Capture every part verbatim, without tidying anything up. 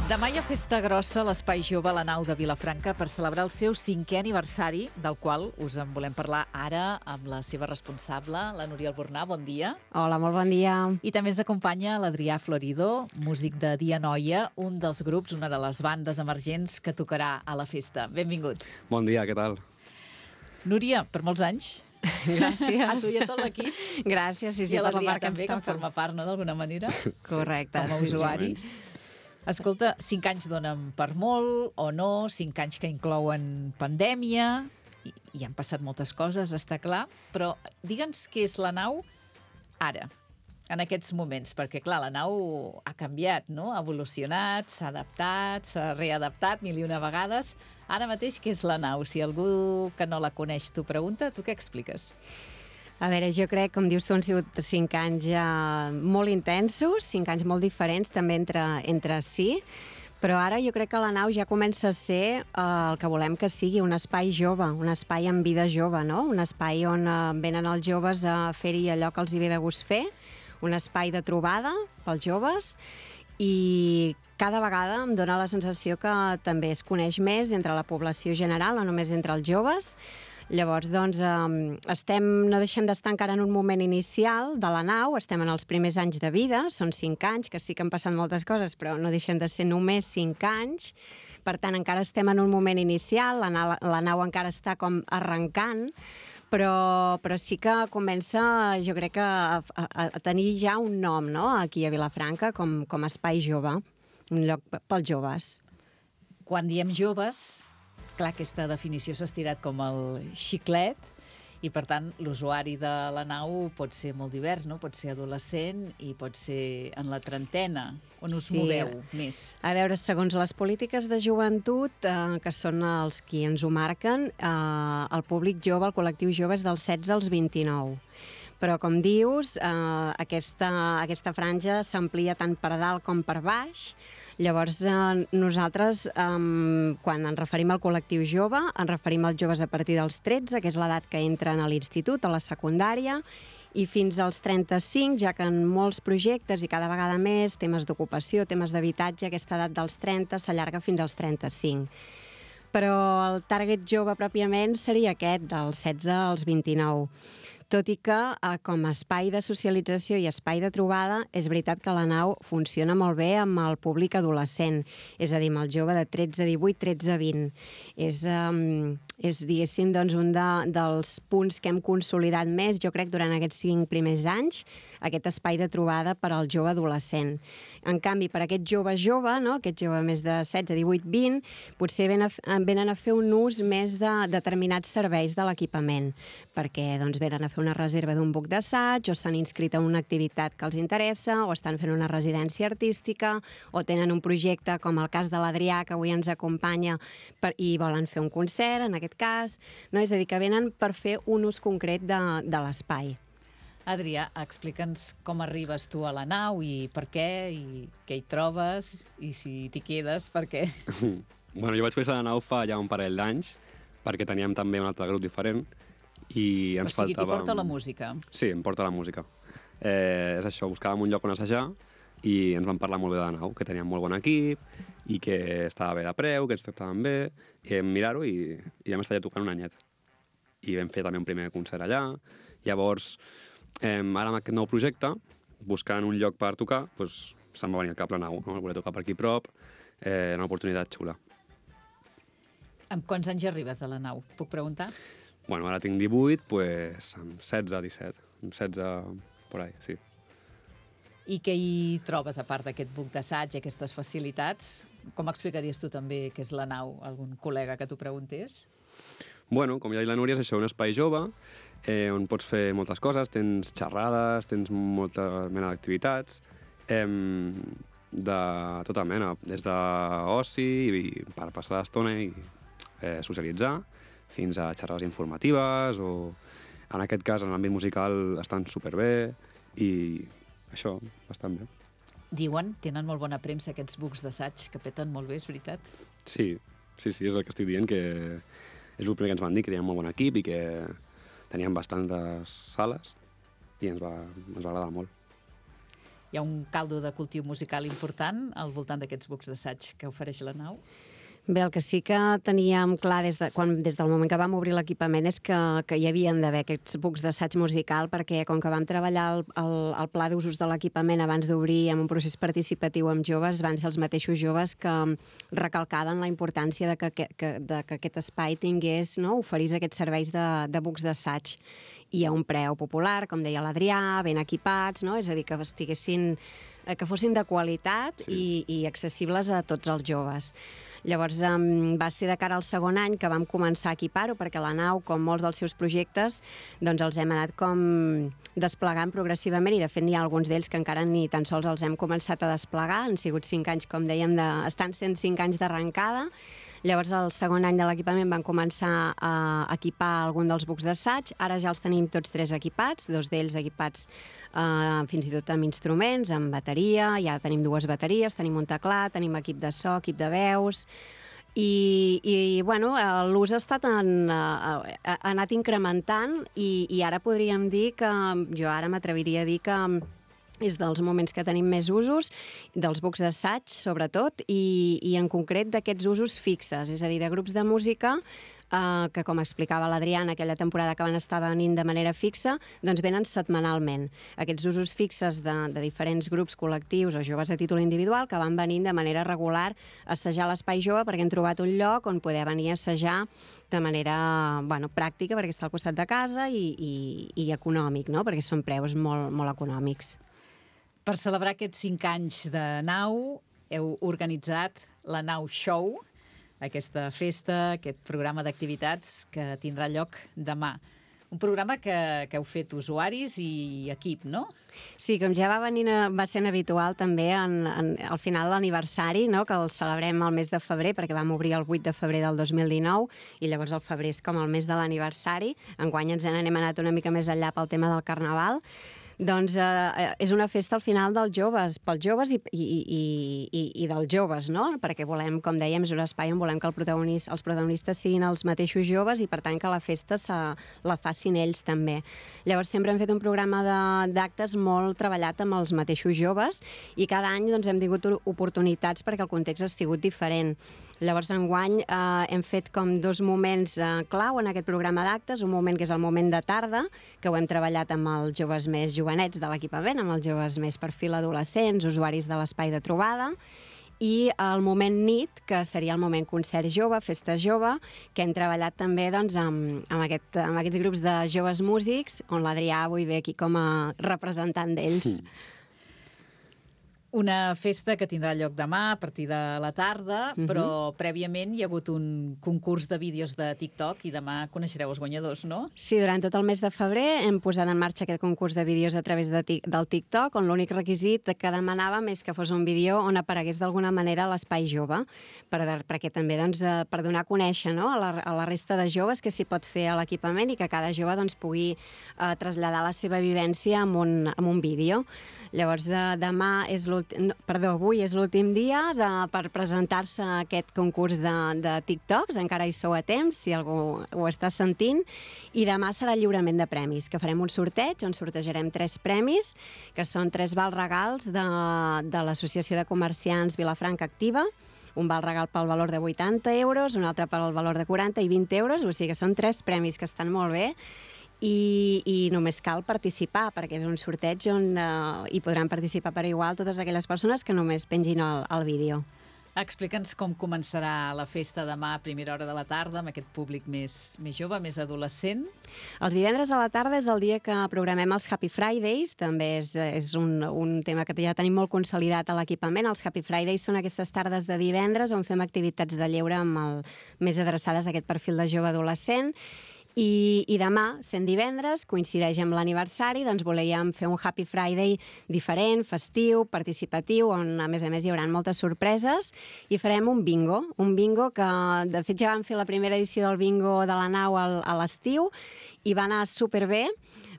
Demà hi ha festa grossa a l'Espai Jove a la Nau de Vilafranca per celebrar el seu cinquè aniversari, del qual us en volem parlar ara amb la seva responsable, la Núria Albornà. Bon dia. Hola, molt bon dia. I també ens acompanya l'Adrià Florido, músic de Dia Noia, un dels grups, una de les bandes emergents que tocarà a la festa. Benvingut. Bon dia, què tal? Núria, per molts anys. Gràcies. A tu i a tot l'equip. Gràcies, sí, sí, I a per la l'Adrià part que ens també, que en toca. forma part, no?, d'alguna manera. Correcte. Com a sí, sí. usuari. Escolta, cinc anys donen per molt o no, cinc anys que inclouen pandèmia, i, i han passat moltes coses, està clar, però digue'ns què és la Nau ara, en aquests moments, perquè, clar, la Nau ha canviat, no? Ha evolucionat, s'ha adaptat, s'ha readaptat mil i una vegades. Ara mateix, què és la Nau? Si algú que no la coneix t'ho pregunta, tu què expliques? A veure, jo crec, com dius tu, han sigut cinc anys ja molt intensos, cinc anys molt diferents també entre, entre si, però ara jo crec que la Nau ja comença a ser eh, el que volem que sigui, un espai jove, un espai amb vida jove, no? Un espai on eh, venen els joves a fer-hi allò que els hi ve de gust fer, un espai de trobada pels joves, i cada vegada em dóna la sensació que també es coneix més entre la població general, no només entre els joves. Llavors, doncs, eh, estem, no deixem d'estar encara en un moment inicial de la Nau, estem en els primers anys de vida, són cinc anys, que sí que han passat moltes coses, però no deixen de ser només cinc anys. Per tant, encara estem en un moment inicial, la nau, la nau encara està com arrencant, però, però sí que comença, jo crec, que a, a, a tenir ja un nom, no?, aquí a Vilafranca, com, com a espai jove, un lloc pels joves. Quan diem joves, clar, aquesta definició s'ha estirat com el xiclet i, per tant, l'usuari de la Nau pot ser molt divers, no? Pot ser adolescent i pot ser en la trentena. On us Sí. moveu més? A veure, segons les polítiques de joventut, eh, que són els qui ens ho marquen, eh, el públic jove, el col·lectiu jove, és dels setze als vint-i-nou. Però, com dius, eh, aquesta, aquesta franja s'amplia tant per dalt com per baix. Llavors, eh, nosaltres, eh, quan ens referim al col·lectiu jove, ens referim als joves a partir dels tretze, que és l'edat que entren a l'institut, a la secundària, i fins als trenta-cinc, ja que en molts projectes, i cada vegada més, temes d'ocupació, temes d'habitatge, aquesta edat dels trenta s'allarga fins als trenta-cinc. Però el target jove pròpiament seria aquest, dels setze als vint-i-nou. Tot i que, eh, com a espai de socialització i espai de trobada, és veritat que la Nau funciona molt bé amb el públic adolescent, és a dir, amb el jove de tretze, divuit, tretze, vint. És, um, és diguéssim, doncs, un de, dels punts que hem consolidat més, jo crec, durant aquests cinc primers anys, aquest espai de trobada per al jove adolescent. En canvi, per aquest jove jove, no?, aquest jove més de setze, divuit, vint, potser venen a, venen a fer un ús més de determinats serveis de l'equipament, perquè doncs, venen a fer una reserva d'un buc d'assaig, o s'han inscrit en una activitat que els interessa, o estan fent una residència artística, o tenen un projecte, com el cas de l'Adrià, que avui ens acompanya, per, i volen fer un concert, en aquest cas. No? És a dir, que venen per fer un ús concret de, de l'espai. Adrià, explica'ns com arribes tu a la Nau i per què, i què hi trobes, i si t'hi quedes, per què. Bueno, jo vaig conèixer la Nau fa ja un parell d'anys, perquè teníem també un altre grup diferent, i ens O sigui, t'hi faltava... porta la música. Sí, em porta la música. Eh, és això, buscàvem un lloc on assajar, i ens van parlar molt bé de la Nau, que teníem molt bon equip, i que estava bé de preu, que ens tractaven bé, i vam mirar-ho i, i vam estar ja tocant un anyet. I vam fer també un primer concert allà. Llavors, eh, ara amb aquest nou projecte, buscant un lloc per tocar, doncs, se'm va venir al cap la Nau, no? Voler tocar per aquí prop, eh, una oportunitat xula. Amb quants anys arribes a la Nau? Puc preguntar? Bueno, ara tinc divuit, doncs amb setze, disset, amb setze, por ahí, sí. I què hi trobes, a part d'aquest buc d'assaig, aquestes facilitats? Com explicaries tu també què és la Nau? Algun col·lega que t'ho preguntés? Bueno, com ja ha dit la Núria, és això, un espai jove, eh, on pots fer moltes coses, tens xerrades, tens molta mena d'activitats, eh, de tota mena, des d'oci, i per passar l'estona i eh, socialitzar, fins a xerrades informatives, o en aquest cas, en l'àmbit musical, estan superbé, i això, bastant bé. Diuen, tenen molt bona premsa aquests bucs d'assaig, que peten molt bé, és veritat? Sí, sí, sí, és el que estic dient, que és el primer que ens van dir, que teníem molt bon equip i que teníem bastantes sales i ens va, ens va agradar molt. hi ha un caldo de cultiu musical important al voltant d'aquests bucs d'assaig que ofereix la nau? Bé, el que sí que teníem clar des, de, quan, des del moment que vam obrir l'equipament és que, que hi havien d'haver aquests bucs d'assaig musical, perquè com que vam treballar el, el, el pla d'usos de l'equipament abans d'obrir amb un procés participatiu amb joves, van ser els mateixos joves que recalcaven la importància de que, que, de que aquest espai tingués, no, oferís aquests serveis de, de bucs d'assaig i a un preu popular, com deia l'Adrià, ben equipats, no? És a dir, que estiguessin, que fossin de qualitat, sí, i, i accessibles a tots els joves. Llavors, um, va ser de cara al segon any que vam començar a equipar-ho, perquè la nau, com molts dels seus projectes, doncs els hem anat com desplegant progressivament, i de fet n'hi ha alguns d'ells que encara ni tan sols els hem començat a desplegar. Han sigut cinc anys, com dèiem, de... estan sent cinc anys d'arrencada. Llavors, el segon any de l'equipament van començar a equipar algun dels bucs d'assaig. Ara ja els tenim tots tres equipats, dos d'ells equipats eh, fins i tot amb instruments, amb bateria. Ja tenim dues bateries, tenim un teclat, tenim equip de so, equip de veus. I, i bueno, l'ús ha estat en, ha, ha anat incrementant i, i ara podríem dir que, jo ara m'atreviria a dir que és dels moments que tenim més usos, dels bucs d'assaig, sobretot, i, i en concret d'aquests usos fixes, és a dir, de grups de música eh, que, com explicava l'Adriana, aquella temporada que van estar venint de manera fixa, doncs venen setmanalment. Aquests usos fixes de, de diferents grups col·lectius o joves a títol individual que van venint de manera regular a assajar l'Espai Jove, perquè han trobat un lloc on poder venir a assajar de manera, bueno, pràctica, perquè està al costat de casa, i, i, i econòmic, no? Perquè són preus molt, molt econòmics. Per celebrar aquests cinc anys de nau, heu organitzat la Nau Show, aquesta festa, aquest programa d'activitats que tindrà lloc demà. Un programa que, que heu fet usuaris i equip, no? Sí, com ja va, venir, va ser habitual també en, en, al final l'aniversari, no? Que el celebrem al mes de febrer, perquè vam obrir el vuit de febrer del dos mil dinou, i llavors el febrer és com el mes de l'aniversari. Enguany ens n'hem anat una mica més enllà pel tema del Carnaval. Doncs eh, és una festa al final dels joves, pels joves i, i, i, i, i dels joves, no? Perquè volem, com dèiem, és un espai on volem que el protagonista, els protagonistes siguin els mateixos joves i, per tant, que la festa se, la facin ells també. Llavors, sempre hem fet un programa d'actes molt treballat amb els mateixos joves i cada any doncs, hem tingut oportunitats perquè el context ha sigut diferent. Llavors, enguany eh, hem fet com dos moments eh, clau en aquest programa d'actes, un moment que és el moment de tarda, que ho hem treballat amb els joves més jovenets de l'equipament, amb els joves més perfil adolescents, usuaris de l'espai de trobada, i el moment nit, que seria el moment concert jove, festa jove, que hem treballat també doncs, amb, amb, aquest, amb aquests grups de joves músics, on l'Adrià avui ve aquí com a representant d'ells. Mm. Una festa que tindrà lloc demà a partir de la tarda, uh-huh. però prèviament hi ha hagut un concurs de vídeos de TikTok i demà coneixereu els guanyadors, no? Sí, durant tot el mes de febrer hem posat en marxa aquest concurs de vídeos a través de, del TikTok, on l'únic requisit que demanàvem és que fos un vídeo on aparegués d'alguna manera l'Espai Jove, per, perquè també doncs, per donar a conèixer, no? a, la, a la resta de joves que s'hi pot fer a l'equipament i que cada jove doncs, pugui eh, traslladar la seva vivència amb un, amb un vídeo. Llavors, eh, demà és l'últim No, perdó, avui és l'últim dia de, per presentar-se a aquest concurs de, de TikToks, encara hi sou a temps, si algú ho està sentint, i demà serà el lliurament de premis, que farem un sorteig on sortejarem tres premis, que són tres vals regals de, de l'Associació de Comerciants Vilafranca Activa, un val regal pel valor de vuitanta euros, un altre pel valor de quaranta i vint euros, o sigui que són tres premis que estan molt bé, I, i només cal participar, perquè és un sorteig on eh, hi podran participar per igual totes aquelles persones que només pengin el, el vídeo. Explica'ns com començarà la festa demà a primera hora de la tarda amb aquest públic més, més jove, més adolescent. Els divendres a la tarda és el dia que programem els Happy Fridays, també és, és un, un tema que ja tenim molt consolidat a l'equipament. Els Happy Fridays són aquestes tardes de divendres on fem activitats de lleure amb el, més adreçades a aquest perfil de jove adolescent. I, i demà, sent divendres, coincideix amb l'aniversari, doncs volíem fer un Happy Friday diferent, festiu, participatiu, on a més a més hi haurà moltes sorpreses, i farem un bingo, un bingo que de fet ja vam fer la primera edició del bingo de la nau al, a l'estiu i va anar superbé.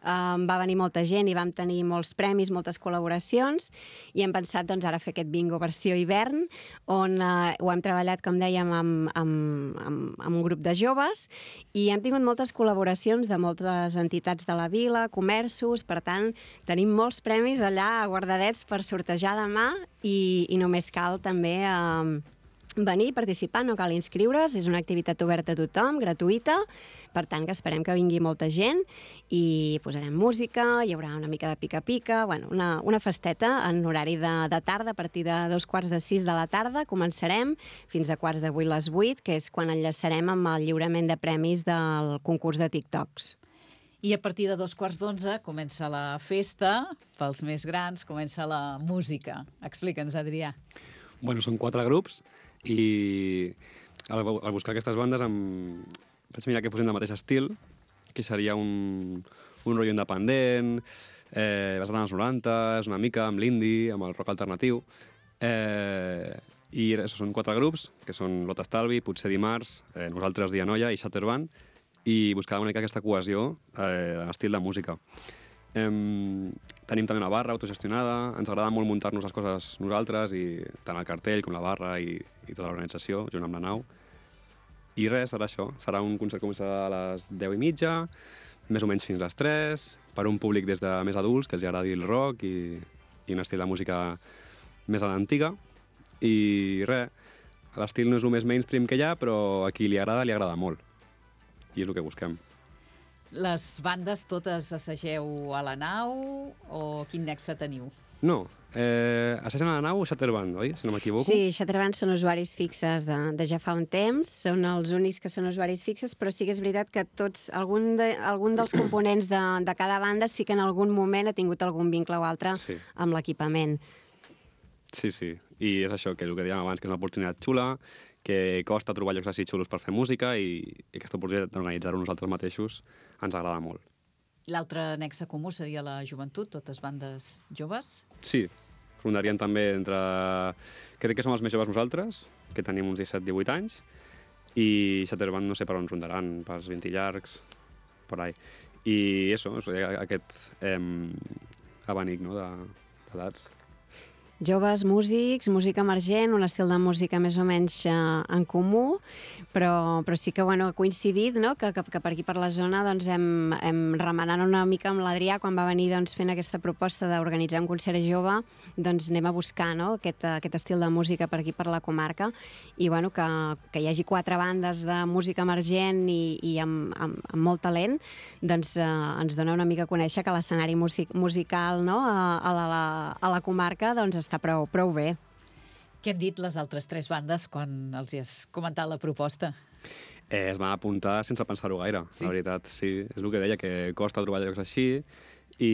um, va venir molta gent i vam tenir molts premis, moltes col·laboracions, i hem pensat doncs, ara fer aquest bingo versió hivern, on uh, ho hem treballat, com dèiem, amb, amb, amb, amb un grup de joves, i hem tingut moltes col·laboracions de moltes entitats de la vila, comerços, per tant, tenim molts premis allà guardadets per sortejar demà, i, i només cal també eh, venir i participar, no cal inscriure's, és una activitat oberta a tothom, gratuïta, per tant que esperem que vingui molta gent i posarem música, hi haurà una mica de pica-pica, bueno, una, una festeta en horari de, de tarda, a partir de dos quarts de sis de la tarda, començarem fins a quarts de vuit les vuit, que és quan enllaçarem amb el lliurament de premis del concurs de TikToks. I a partir de dos quarts d'onze comença la festa, pels més grans comença la música. Explica'ns, Adrià. Bueno, són quatre grups i al, al buscar aquestes bandes em vaig mirar que fossin del mateix estil, que seria un, un rotllo independent, eh, basat en els noranta, és una mica amb l'indie, amb el rock alternatiu. Eh, I això, són quatre grups, que són Lot Estalvi, Potser Dimarts, eh, Nosaltres Dia Noia i Shatterband, i buscava una mica aquesta cohesió eh, en estil de música. Eh, tenim també una barra autogestionada, ens agrada molt muntar-nos les coses nosaltres, i tant el cartell com la barra i, i tota l'organització, junt amb la nau. I res, serà això. Serà un concert que començarà a les deu i mitja, més o menys fins a les tres, per un públic des de més adults, que els agradi el rock i, i un estil de música més a l'antiga. I res, l'estil no és el més mainstream que hi ha, però a qui li agrada, li agrada molt. I és el que busquem. Les bandes totes assageu a la nau o quin nexe teniu? No, eh, assagen a la nau Shatterband, oi? Si no m'equivoco. Sí, Shatterband són usuaris fixes de, de ja fa un temps, són els únics que són usuaris fixes, però sí que és veritat que tots, algun, de, algun dels components de, de cada banda sí que en algun moment ha tingut algun vincle o altre sí. amb l'equipament. Sí, sí, i és això, que el que dèiem abans, que és una oportunitat xula, que costa trobar llocs així xulos per fer música, i, i aquesta oportunitat d'organitzar-ho nosaltres mateixos ens agrada molt. L'altre nexe comú seria la joventut, totes bandes joves? Sí, rondarien també entre... Crec que som els més joves nosaltres, que tenim uns disset divuit anys, i Shatterband no sé per on rondaran, pels vint llargs, per ahí. I això, aquest eh, abanic, no?, d'edats. Joves, músics, música emergent, un estil de música més o menys eh, en comú, però, però sí que bueno, ha coincidit, no?, que, que, que per aquí per la zona doncs, hem, hem remenant una mica amb l'Adrià quan va venir doncs, fent aquesta proposta d'organitzar un concert jove, doncs anem a buscar, no?, aquest, aquest estil de música per aquí per la comarca, i bueno, que, que hi hagi quatre bandes de música emergent i, i amb, amb, amb molt talent, doncs eh, ens dona una mica a conèixer que l'escenari music, musical, no?, a, a, la, a la comarca doncs, està prou, prou bé. Què han dit les altres tres bandes quan els hi has comentat la proposta? Eh, es van apuntar sense pensar-ho gaire, sí? La veritat. Sí, és el que deia, que costa trobar llocs així, i,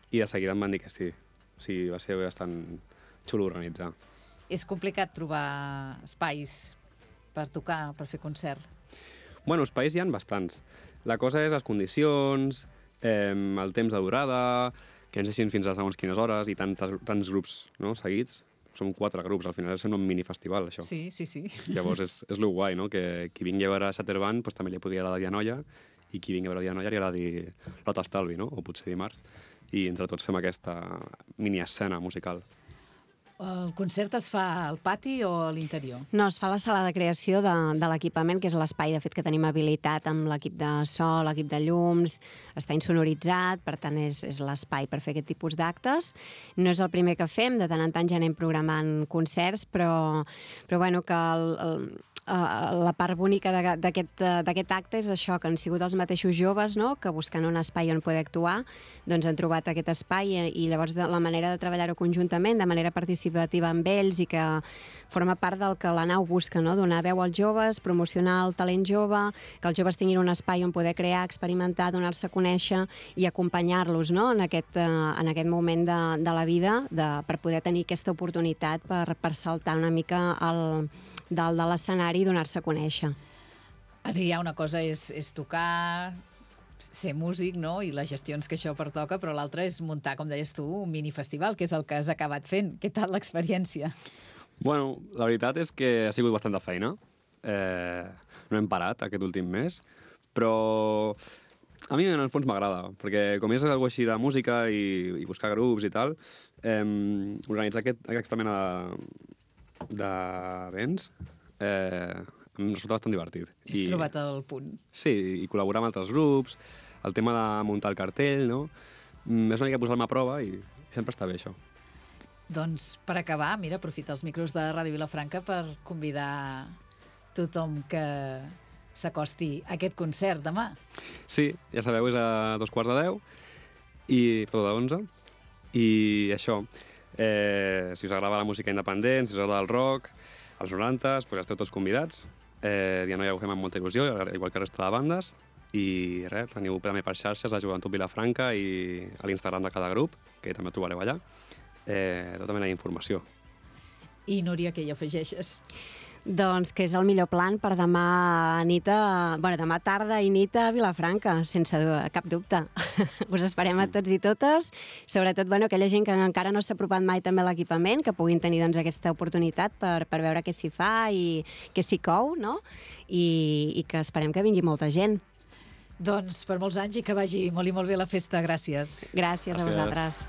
i de seguida em van dir que sí. O sigui, va ser bastant xulo organitzar. És complicat trobar espais per tocar, per fer concert? Bueno, espais hi ha bastants. La cosa és les condicions, eh, el temps de durada, que ens deixin fins a segons quines hores i tantes, tants grups, no?, seguits. Som quatre grups, al final és un minifestival, això. Sí, sí, sí. Llavors és, és lo guai, no?, que qui vingui a veure Shatterband pues, també li podria agradar Dia Noia, i qui vingui a veure Dia Noia li agradi Lot Estalvi, no?, o Potser Dimarts, i entre tots fem aquesta mini-escena musical. El concert es fa al pati o a l'interior? No, es fa a la sala de creació de, de l'equipament, que és l'espai, de fet, que tenim habilitat amb l'equip de so, l'equip de llums, està insonoritzat, per tant, és, és l'espai per fer aquest tipus d'actes. No és el primer que fem, de tant en tant ja anem programant concerts, però, però bueno, que el, el, la part bonica d'aquest acte és això, que han sigut els mateixos joves, no?, que buscant un espai on poder actuar, doncs han trobat aquest espai, i llavors la manera de treballar-ho conjuntament, de manera participativa amb ells, i que forma part del que la nau busca, no?, donar veu als joves, promocionar el talent jove, que els joves tinguin un espai on poder crear, experimentar, donar-se a conèixer i acompanyar-los, no?, en aquest, en aquest moment de, de la vida, de, per poder tenir aquesta oportunitat per, per saltar una mica el dalt de l'escenari i donar-se a conèixer. Adrià, una cosa és, és tocar, ser músic, no?, i les gestions que això pertoca, però l'altra és muntar, com deies tu, un minifestival, que és el que has acabat fent. Què tal l'experiència? Bueno, la veritat és que ha sigut bastant de feina. Eh, no hem parat aquest últim mes, però A mi, en el fons, m'agrada, perquè com és alguna així de música i, i buscar grups i tal, eh, organitzar aquest, aquesta mena d'events eh, em resulta bastant divertit. Has I... trobat el punt. Sí, i col·laborar amb altres grups, el tema de muntar el cartell, no? Mm, és una mica posar-me a prova i sempre està bé, això. Doncs, per acabar, mira, aprofita els micros de Ràdio Vilafranca per convidar tothom que s'acosti a aquest concert demà. Sí, ja sabeu, és a dos quarts de deu, i, perdó, de onze, i això, eh, si us agrada la música independent, si us agrada el rock, als noranta, doncs esteu tots convidats. Eh, ja no ja ho fem amb molta il·lusió, igual que resta de bandes, i res, teniu també per xarxes a Joventut Vilafranca i a l'Instagram de cada grup, que també ho trobareu allà, eh, tota mena d'informació. I, Núria, què hi afegeixes? Doncs que és el millor plan per demà nit a... bueno, demà tarda i nit a Vilafranca, sense cap dubte. Us esperem a tots i totes, sobretot bueno, aquella gent que encara no s'ha apropat mai també a l'equipament, que puguin tenir doncs, aquesta oportunitat per, per veure què s'hi fa i què s'hi cou, no? I, i que esperem que vingui molta gent. Doncs per molts anys i que vagi molt i molt bé la festa. Gràcies. Gràcies, Gràcies. a vosaltres.